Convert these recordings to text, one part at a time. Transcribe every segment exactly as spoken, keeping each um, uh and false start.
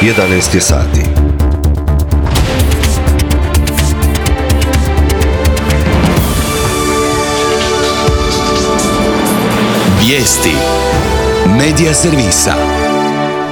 jedanaest je sati. Vijesti Medija servisa.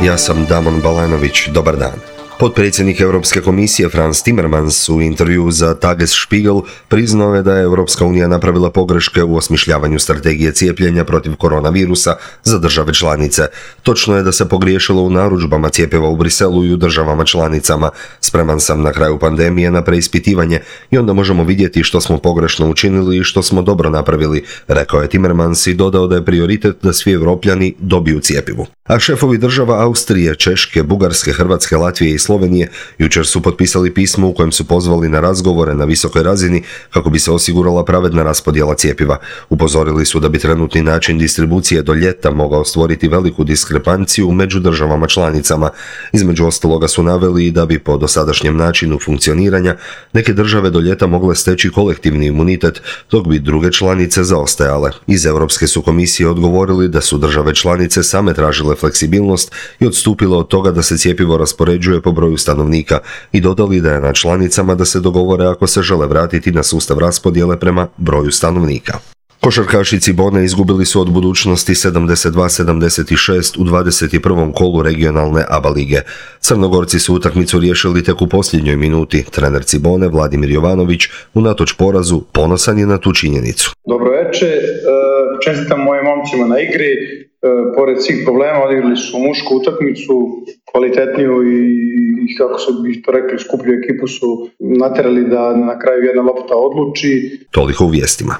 Ja sam Damon Balanović, dobar dan. Potpredsjednik Europske komisije Frans Timmermans u intervjuu za Tagesspiegel priznao je da je Europska unija napravila pogreške u osmišljavanju strategije cijepljenja protiv koronavirusa za države članice. Točno je da se pogriješilo u narudžbama cjepiva u Briselu i u državama članicama. Spreman sam na kraju pandemije na preispitivanje i onda možemo vidjeti što smo pogrešno učinili i što smo dobro napravili, rekao je Timmermans i dodao da je prioritet da svi Europljani dobiju cjepivo. A šefovi država Austrije, Češke, Bugarske, Hrvatske, Latvije i Slovenije jučer su potpisali pismo u kojem su pozvali na razgovore na visokoj razini kako bi se osigurala pravedna raspodjela cjepiva. Upozorili su da bi trenutni način distribucije do ljeta mogao stvoriti veliku diskrepanciju među državama članicama. Između ostaloga su naveli i da bi po dosadašnjem načinu funkcioniranja neke države do ljeta mogle steći kolektivni imunitet, dok bi druge članice zaostajale. Iz Europske su komisije odgovorili da su države članice same tražile fleksibilnost i odstupile od toga da se cjepivo raspoređuje po broju stanovnika i dodali da je na članicama da se dogovore ako se žele vratiti na sustav raspodjele prema broju stanovnika. Košarkaši Cibone izgubili su od Budućnosti sedamdeset dva sedamdeset šest u dvadeset prvom kolu regionalne A B A lige. Crnogorci su utakmicu riješili tek u posljednjoj minuti. Trener Cibone Vladimir Jovanović unatoč porazu ponosan je na tu činjenicu. Dobro večer, čestitam mojim momcima na igri. Pored svih problema odigrali su mušku utakmicu, kvalitetniju i kako su bi to rekli skuplju ekipu su naterali da na kraju jedna lopta odluči. Toliko u vijestima.